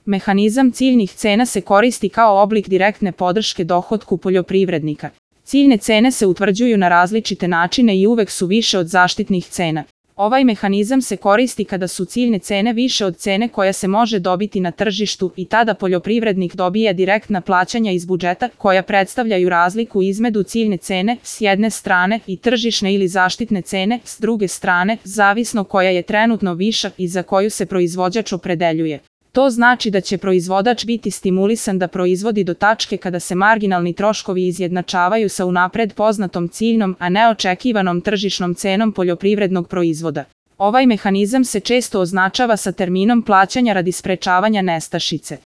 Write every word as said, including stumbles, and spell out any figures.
Mehanizam ciljnih cena se koristi kao oblik direktne podrške dohotku poljoprivrednika. Ciljne cene se utvrđuju na različite načine i uvek su više od zaštitnih cena. Ovaj mehanizam se koristi kada su ciljne cene više od cene koja se može dobiti na tržištu i tada poljoprivrednik dobija direktna plaćanja iz budžeta koja predstavljaju razliku između ciljne cene s jedne strane i tržišne ili zaštitne cene s druge strane, zavisno koja je trenutno viša i za koju se proizvođač opredeljuje. To znači da će proizvođač biti stimulisan da proizvodi do tačke kada se marginalni troškovi izjednačavaju sa unapred poznatom ciljnom, a ne očekivanom tržišnom cenom poljoprivrednog proizvoda. Ovaj mehanizam se često označava sa terminom plaćanja radi sprečavanja nestašice.